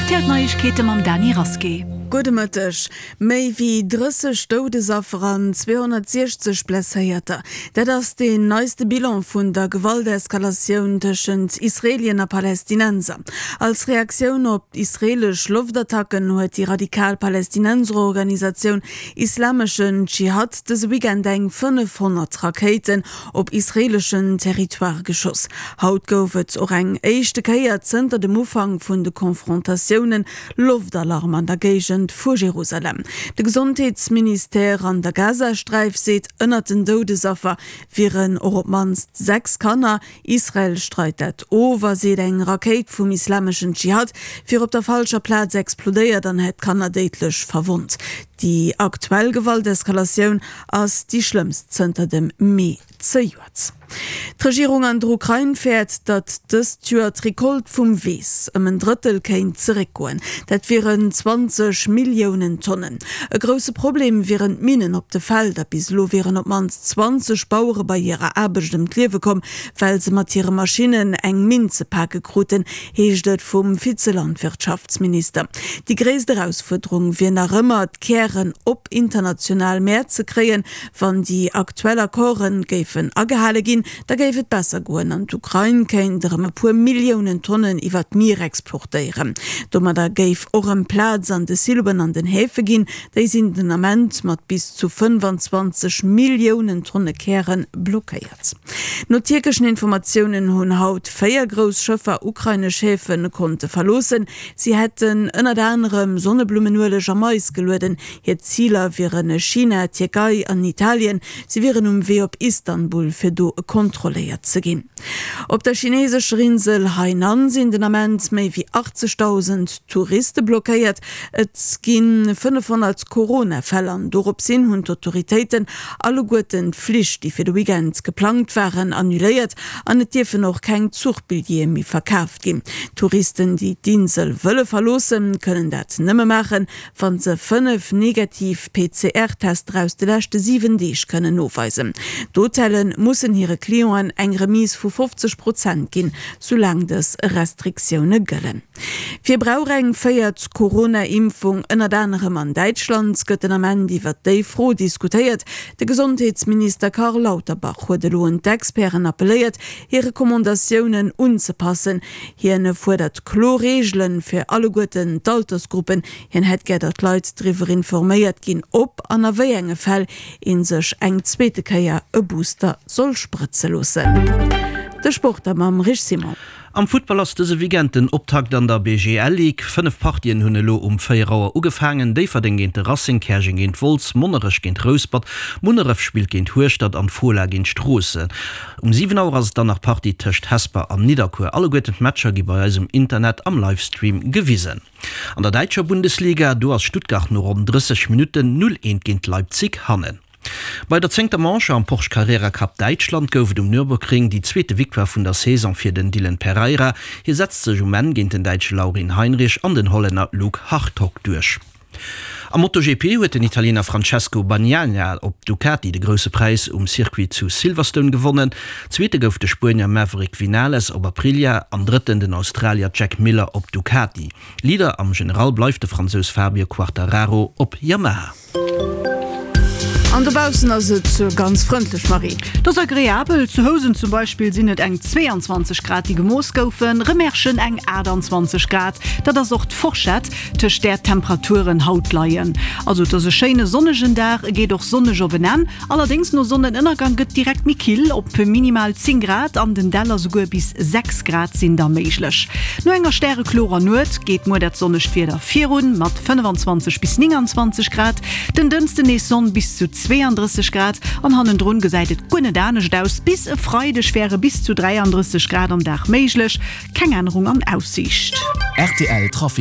Rtl Neiegkeete mam Dany Rasqué. Gudde Mëtteg. Méi wéi 30 Doudesaffer an 260 Blesséierter, dat ass deen neiste Bilan vun der Gewalteskalatioun tëschent Israelien a Palästinenser. Als Reaktioun op israelesch Loftattacken huet déi radikal Palästinenserorganisatioun Islameschen Dschihad dëse Weekend eng 500 Rakéiten op israeeleschen Territoire geschoss. Haut gouf et och eng éischte Kéier zënter dem Ufank vun de Confrontatiounen Loftalarm an der Géigend vu Jerusalem. De Gesondheetsministère an der Gazasträif seet, ënnert den Doudesaffer wieren och op d'mannst 6 Kanner. Israel streit dat of a seet, eng Rakéit vum Islameschen Dschihad wier op der falscher Plaz explodéiert an hätt Kanner déidlech verwonnt. Déi aktuell Gewalteskalatioun ass déi schlëmmst zënter dem Mee zejoert. D'Regierung an der Ukrain fäert, datt dëst Joer d'Recolte vum Weess ëm en Drëttel kéint zeréckgoen. Dat wieren 20 Milliounen Tonnen. E grousse Problem wieren d'Minnen op de Felder. Bis elo wieren op d'mannst 20 Bauere bei hirer Aarbecht ëm d'Liewe komm, well se mat hire Maschinnen eng Minn ze pake kruten, heescht et vum Vize-Landwirtschaftsminister. Déi gréisst Erausfuerderung wier nach ëmmer, d'Kären op international Mäert ze kréien. Wann déi aktuell Accorde géifen agehale ginn, da géif et besser goen an d'Ukrain kéint erëm e puer Milliounen Tonnen iwwer d'Mier exportéieren. Domadder géif och erëm Plaz an de Siloen an den Häfe ginn. Déi sinn den Ament mat bis zu 25 Milliounen Tonne Käre blockéiert. No tierkeschen Informatiounen hunn haut 4 grouss Schëffer ukrainesch Häfe konnte verloossen. Si hätten ënnert anerem Sonneblummenueleg a Mais gelueden. Hir Ziler wiere China, Tierkei an Italien. Si wieren um Wee op Istanbul, fir do kontrolléiert ze ginn. Op der chinesescher Insel Hainan sinn den Ament méi wéi 80.000 Touriste blockéiert. Et gi 500 Corona-Fäll an dorops hin hunn d'Autoritéiten alleguerten d'Flich, déi fir de Weekend geplangt waren, annuléiert an et dierfen och keng Zuchbilljeeë méi verkaaft ginn. Touristen, déi d'Insel wëlle verloossen, kënnen dat nëmme maachen, wa se 5 negativ PCR-Tester aus de leschte 7 Deeg kënnen noweisen. D'Hotelle mussen hire Clienten eng Remise vu 50 Prozent ginn, soulaang dës Restriktioune gëllen. Wie brauch eng véiert Corona-Impfung? Ënnert anerem an Däitschland gëtt den Ament iwwer déi Fro diskutéiert. De Gesondheetsminister Karl Lauterbach huet elo un d'Experten appelléiert, hir Recommandatiounen unzepassen. Hien fuerdert kloer Reegele fir alleguerten d'Altersgruppen. Hien hätt gär, datt d'Leit driwwer informéiert ginn, ob an a wéi enge Fäll ee sech eng zweete Kéier e Booster soll sprëtze loossen. De Sport da mam Rich Simon. Am Futtball ass dëse Weekend den Optakt an der BGL Ligue. 5 Partien hunn elo um 4 Auer ugefaangen, Déifferdeng géint de Racing, Käerjeng géint Wolz, Monnerech géint Rouspert, Munneref spillt géint Hueschtert an d'Fola géint Stroossen. Um 7 Auer ass et dann nach Partie tëscht Hesper an Nidderkuer. Alleguerten d'Matcher gi bei eis um Internet am Livestream gewisen. An der däitscher Bundesliga, do ass Stuttgart no ronn 30 Minutten 0, 1 géint Leipzig hannen. Bei der zéngter Manche am Porsche Carrera Cup Däitschland gouf et um Nürburgring déi zweete Victoire vun der Saison fir den Dylan Pereira. Hie setzt sech um Enn géint den Däitsche Laurin Heinrich an den Hollänner Loek Hartog duerch. Am MotoGP huet den Italiener Francesco Bagnaia op Ducati de Grousse Präis um Circuit zu Silverstone gewonnen. Zweete gouf de Spuenier Maverick Vinales op Aprilia an Drëtten den Australier Jack Miller op Ducati. Leader am General bleift de Fransous Fabio Quartararo op Yamaha. An dobaussen ass et ganz frëndlech, Marie. Et ass agreabel. Zu Housen zum Beispill sinn et eng 22 Grad, déi gemooss goufen, Remerschen eng 28 Grad. Dat ass och d'Forschett, tëscht där d'Temperaturen haut leien. Also et ass e schéine sonnegen Dag, e geet och sonneg op en Enn. Allerdéngs no Sonnenënnergang gëtt direkt méi kill, op minimal 10 Grad an den Däller souguer bis 6 Grad sinn da méiglech. No enger stäreklorer Nuet geet muer dat sonnegt Wieder virun, mat 25 bis 29 Grad. Den Dënschden nees Sonn, bis zu 32 Grad an hannendrun gesäit et guer net anescht aus. Bis e Freideg wäre bis zu 33 Grad am Dag méiglech, keng Ännerung an Aussiicht. Rtl Trafic.